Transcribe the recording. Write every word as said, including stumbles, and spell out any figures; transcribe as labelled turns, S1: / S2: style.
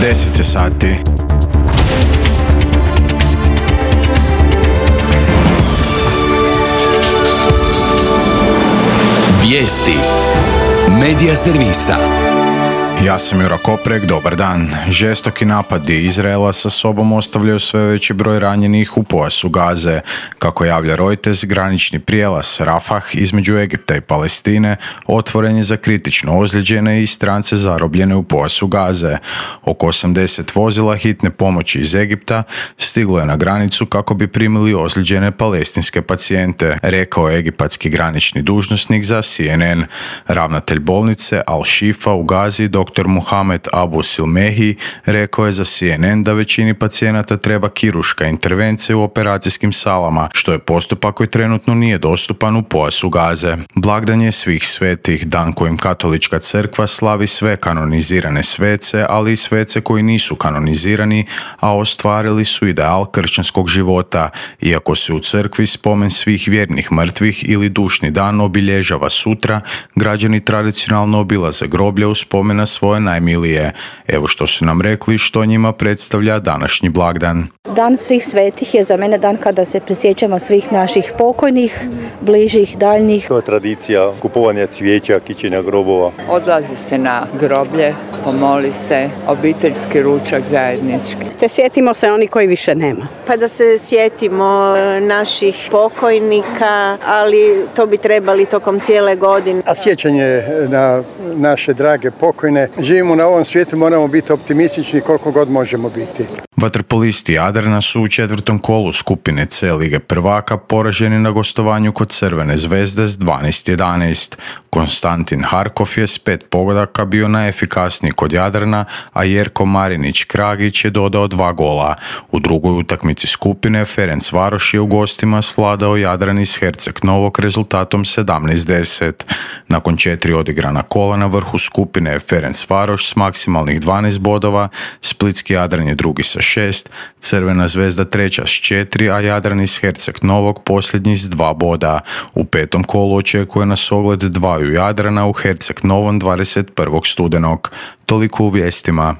S1: deset sati.
S2: Vijesti Medija servisa.
S1: Ja sam Jura Koprek, dobar dan. Žestoki napadi Izraela sa sobom ostavljaju sve veći broj ranjenih u pojasu Gaze. Kako javlja Reuters, granični prijelaz Rafah između Egipta i Palestine otvoren je za kritično ozlijeđene i strance zarobljene u pojasu Gaze. Oko osamdeset vozila hitne pomoći iz Egipta stiglo je na granicu kako bi primili ozlijeđene palestinske pacijente, rekao je egipatski granični dužnosnik za C N N. Ravnatelj bolnice Al-Shifa u Gazi, dr. Muhamed Abu Silmehi, rekao je za C N N da većini pacijenata treba kirurška intervencija u operacijskim salama, što je postupak koji trenutno nije dostupan u pojasu Gaze. Blagdan je svih svetih, dan kojim katolička crkva slavi sve kanonizirane svece, ali i svece koji nisu kanonizirani, a ostvarili su ideal kršćanskog života. Iako se u crkvi spomen svih vjernih mrtvih ili dušni dan obilježava sutra, građani tradicionalno obilaze groblje u spomena svoje najmilije. Evo što su nam rekli što njima predstavlja današnji blagdan.
S3: Dan svih svetih je za mene dan kada se prisjećamo svih naših pokojnih, bližih, daljnjih.
S4: To je tradicija kupovanja cvijeća, kićenja grobova.
S5: Odlazi se na groblje, pomoli se, obiteljski ručak zajednički.
S6: Te sjetimo se oni koji više nema.
S7: Pa da se sjetimo naših pokojnika, ali to bi trebali tokom cijele godine.
S8: A sjećanje na naše drage pokojne. Živimo na ovom svijetu, moramo biti optimistični koliko god možemo biti.
S1: Vaterpolisti Jadrana su u četvrtom kolu skupine C Lige prvaka poraženi na gostovanju kod Crvene zvezde s dvanaest jedanaest. Konstantin Harkov je s pet pogodaka bio najefikasniji kod Jadrana, a Jerko Marinić Kragić je dodao dva gola. U drugoj utakmici skupine Ferencvaroš je u gostima svladao Jadran iz Herceg Novog rezultatom sedamnaest deset. Nakon četiri odigrana kola na vrhu skupine je Ferencvaroš s maksimalnih dvanaest bodova, Splitski Jadran je drugi sa šest, Crvena zvezda treća s četiri, a Jadran iz Herceg Novog posljednji s dva boda. U petom kolu očekuje nas ogled dvaju Jadrana u Herceg Novom dvadeset prvog studenog. Toliko u vijestima.